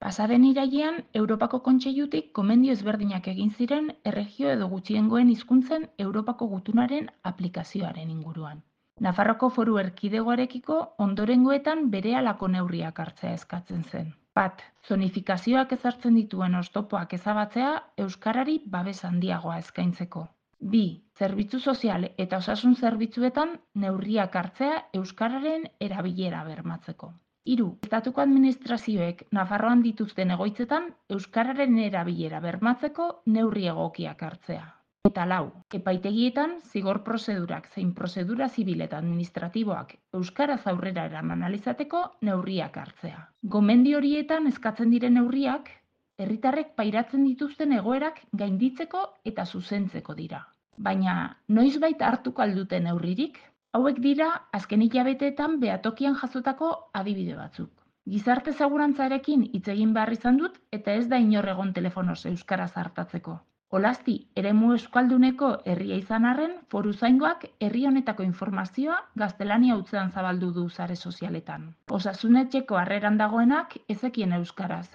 Pasaden irailean, Europako Kontseilutik gomendio ezberdinak egin ziren erregio edo gutxiengoen hizkuntzen Europako gutunaren aplikazioaren inguruan. Nafarroko Foru Erkidegoarekiko ondorengoetan berehalako neurriak hartzea eskatzen zen. Bat, zonifikazioak ezartzen dituen oztopoak ezabatzea euskarari babes handiagoa eskaintzeko. Bi, zerbitzu sozial eta osasun zerbitzuetan neurriak hartzea euskararen erabilera bermatzeko. Hiru, estatuko administrazioek Nafarroan dituzten egoitzetan euskararen erabilera bermatzeko neurri egokiak hartzea. Eta lau, epaitegietan zigor prozedurak zein prozedura zibil eta administratiboak euskaraz aurrera eraman ahal izateko neurriak hartzea. Gomendio horietan eskatzen diren neurriak herritarrek pairatzen dituzten egoerak gainditzeko eta zuzentzeko dira. Baina noizbait hartuko al dute neurririk? Hauek dira azken hilabeteetan behatokian jasotako adibide batzuk. Gizarte segurantzarekin hitz egin behar izan dut eta ez da inor egon telefonoz euskaraz hartatzeko. Olasti, eremu euskalduneko herria izan arren, foruzaingoak herri honetako informazioa gaztelania hutsean zabaldu du sare sozialetan. Osasunetxeko harreran dagoenak ezekien euskaraz.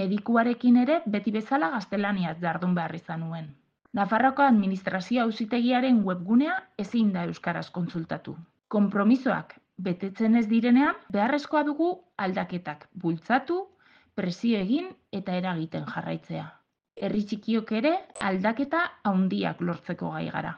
Medikuarekin ere beti bezala gaztelaniaz jardun behar izan nuen. Nafarroako administrazio auzitegiaren webgunea ezin da euskaraz kontsultatu. Konpromisoak betetzen ez direnean, beharrezkoa dugu aldaketak bultzatu, presio egin eta eragiten jarraitzea. Herri txikiok ere aldaketa handiak lortzeko gai gara.